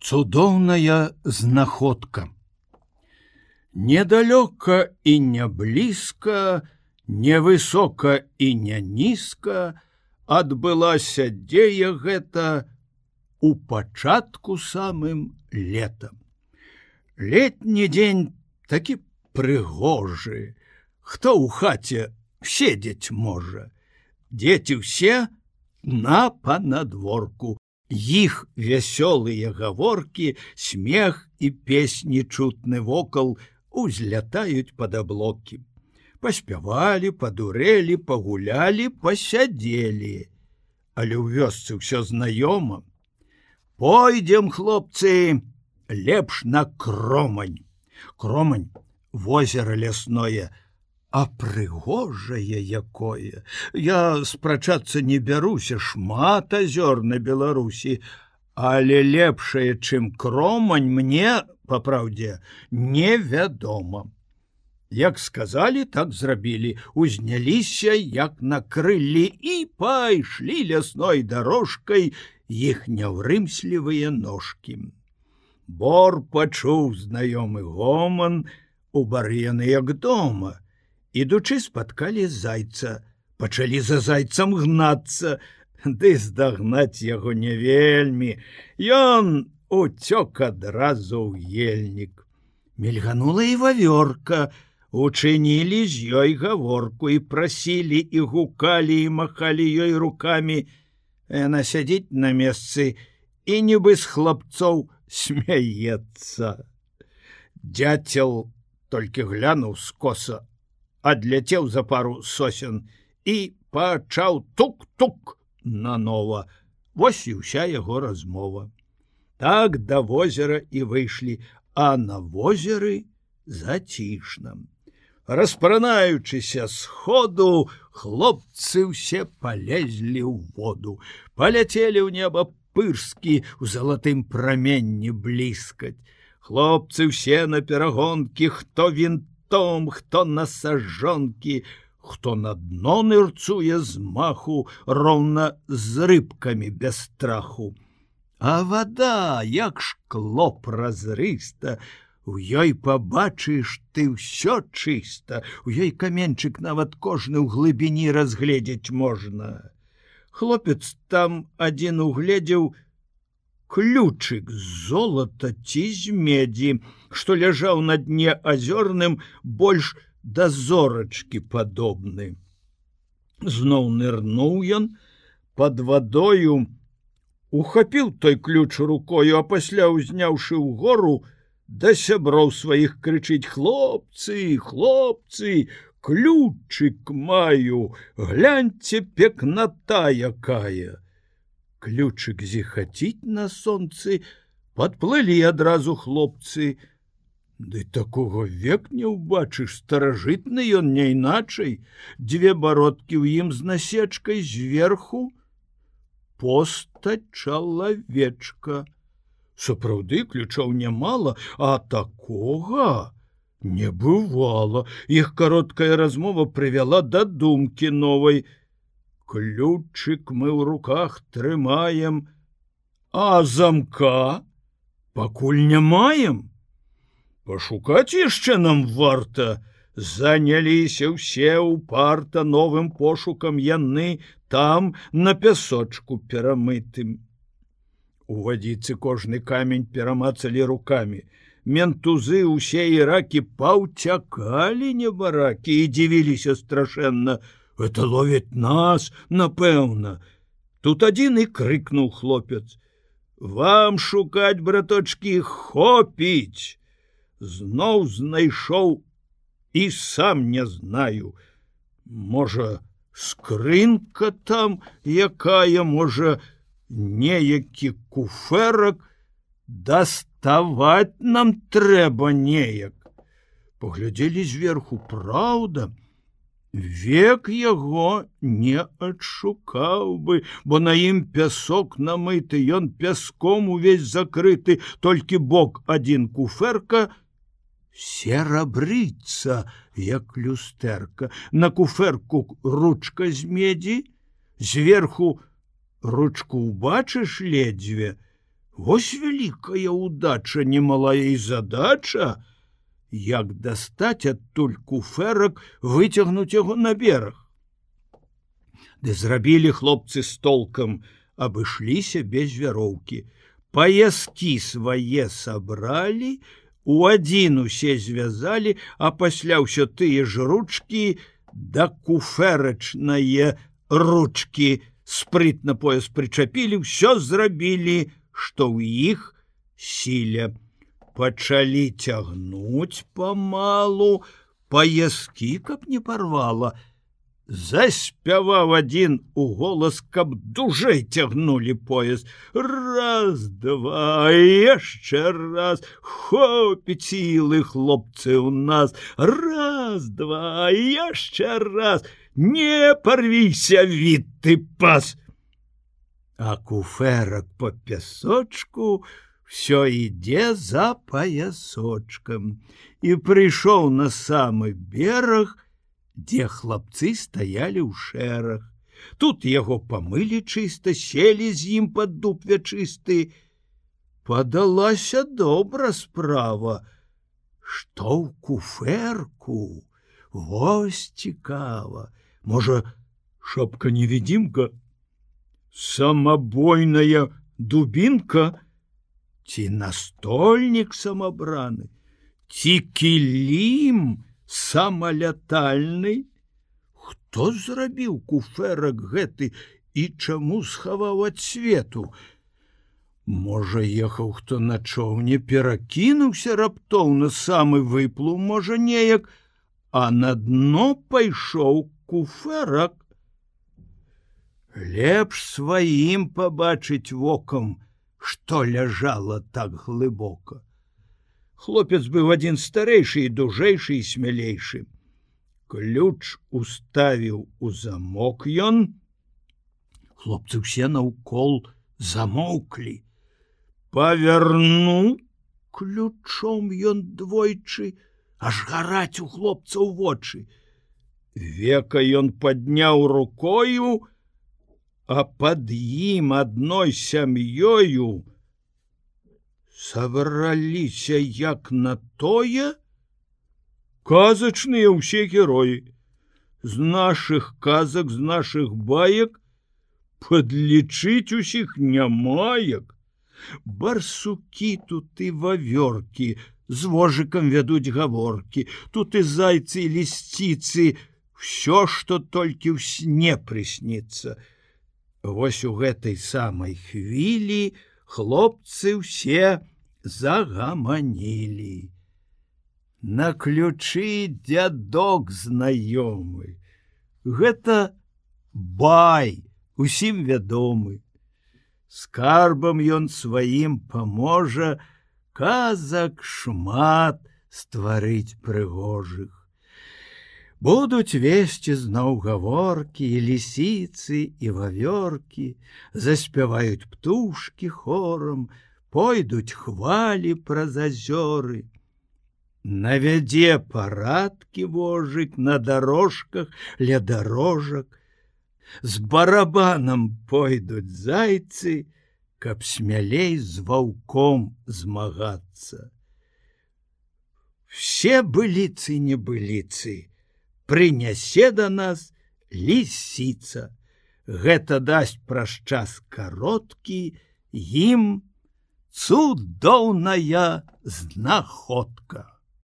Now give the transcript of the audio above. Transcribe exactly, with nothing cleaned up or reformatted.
Цудоўная знаходка. Недалёка і не блізка, невысока і не нізка адбылася дзея гэта у пачатку самым летам. Летні дзень такі прыгожы, хто ў хаце седзець можа. Дзеці ўсе на панадворку. Іх вясёлыя гаворкі, смех і песні чутны вокал узлятаюць пад аблокі. Паспявалі, падурэлі, пагулялі, пасядзелі. Але ў вёсцы ўсё знаёма. Пойдзем, хлопцы, лепш на Кромань. Кромань — возера лясное, а прыгожае якое. Я спрачацца не бяруся, шмат азёр на Беларусі, але лепшае, чым Кромань, мне, па праўдзе, невядома. Як сказалі, так зрабілі, узняліся, як на крыллі, і пайшлі лясной дарожкай іх няўрымслівыя ножкі. Бор пачуў знаёмы гоман, у бары яны як дома. Ідучы спаткалі зайца, пачалі за зайцам гнацца, ды здагнаць яго не вельмі. Ён уцёк адразу ў ельнік. Мільганула і вавёрка, учынілі з ёй гаворку і прасілі, і гукалі, і махалі ёй рукамі. Яна сядзіць на месцы і нібы з хлапцоў смяецца. Дзяцел толькі глянуў скоса, адляцеў за пару сосен і пачаў тук-тук нанова. Вось і ўся яго размова. Так да возера і выйшлі, а на возеры зацішна. Распранаючыся з ходу, хлопцы ўсе палезлі ў воду, паляцелі ў неба пырскі ў залатым праменні бліскаць. Хлопцы ўсе на перагонкі, хто вінтом, Том, хто на сажонкі, хто на дно нырцуе з маху, роўна з рыбкамі без страху. А вада, як шкло празрыста, у ёй пабачыш ты ўсё чыста, у ёй каменчык нават кожны ў глыбіні разгледзець можна. Хлопец там адзін угледзеў ключык з золата ці з медзі, што ляжаў на дне азёрным, больш да зорачкі падобны. Зноў нырнуў ён пад вадою, ухапіў той ключ рукою, а пасля, узняўшы ўгору, да сяброў сваіх крычыць: хлопцы, хлопцы, ключык маю, гляньце, пекната якая. Ключык зіхаціць на сонцы, падплылі адразу хлопцы. Ды такога век не ўбачыш, старажытны ён не іначай. Дзве бародкі ў ім з насечкай, зверху постаць чалавечка. Сапраўды, ключоў нямала, а такога не бывала. Іх кароткая размова прывяла да думкі новай. Ключык мы ў руках трымаем, а замка пакуль не маем. Пашукаць яшчэ нам варта. Заняліся ўсе ўпарта новым пошукам яны там на пясочку перамытым. У вадзіцы кожны камень перамацалі рукамі. Ментузы усе і ракі паўцякалі небаракі і дзівіліся страшэнна. Это ловіць нас, напэўна. Тут адзін і крыкнуў хлопец: вам шукаць, браточкі, хопіць. Зноў знайшоў і сам не знаю. Можа, скрынка там якая, можа, неякі куфэрак. Даставаць нам трэба неяк. Паглядзелі зверху, праўда, век яго не адшукаў бы, бо на ім пясок намыты, ён пяском увесь закрыты, толькі бок адзін куфэрка серабрыцца, як люстэрка. На куфэрку ручка з медзі, зверху ручку убачыш ледзьве, Вось вялікая удача, немалая і задача, як дастаць адтуль куфэрак, выцягнуць яго на бераг. Ды зрабілі хлопцы з толкам, абышліся без вяроўкі. Паяскі свае сабралі, у адзін усе звязалі, а пасля ўсё тыя ж ручкі да куфэрачнае ручкі спрытна пояс прычапілі, ўсё зрабілі, што ў іх сіле. Пачалі цягнуць памалу, паяскі, каб не парвала. Заспяваў адзін у голас, каб дужэй цягнулі пояс. Раз, два, яшчэ раз, хопіць сілы, хлопцы, у нас. Раз, два, яшчэ раз, не парвіся, віты пас. А куфэрак па пясочку всё ідзе за паясочкам і прыйшоў на самы бераг, дзе хлапцы стаялі ў шэраг. Тут яго памылі чыста, селі з ім пад дуб вячысты. Падалася добра справа, што ў куфэрку, вось цікава. Можа, шапка-невідзімка, самабойная дубінка, ці настольнік самабраны, ці кілім самалятальны? Хто зрабіў куфэрак гэты і чаму схаваў ад свету? Можа, ехаў хто на чоўне, перакінуўся раптоўна, самы выплыў, можа, неяк, а на дно пайшоў куфэрак. Лепш сваім пабачыць вокам, што ляжала так глыбока. Хлопец быў адзін старэйшы і дужэйшы і смялейшы. Ключ уставіў у замок ён. Хлопцы ўсе наўкол замоўклі. Павярнуў ключом ён двойчы, аж гараць у хлопцаў вочы. Века ён падняў рукою, а пад ім адной сям'ёю сабраліся як на тое казачныя ўсе героі. З нашых казак, з нашых баек падлічыць усіх няма як. Барсукі тут і вавёркі з вожыкам вядуць гаворкі, тут і зайцы і лісціцы, ўсё, што толькі ў сне прысніцца. Вось у гэтай самай хвілі хлопцы ўсе загаманілі. На ключы дзядок знаёмы. Гэта бай, усім вядомы. Скарбам ён сваім паможа казак шмат стварыць прыгожых. Будуць весці зноў гаворкі, і лісіцы, і вавёркі, заспяваюць птушкі хорам, пойдуць хвалі праз азёры. Навядзе парадкі вожык на дарожках ля дарожак, з барабанам пойдуць зайцы, каб смялей з ваўком змагацца. Все быліцы небыліцы прынясе да нас лісіца. Гэта дасць праз час кароткі ім цудоўная знаходка.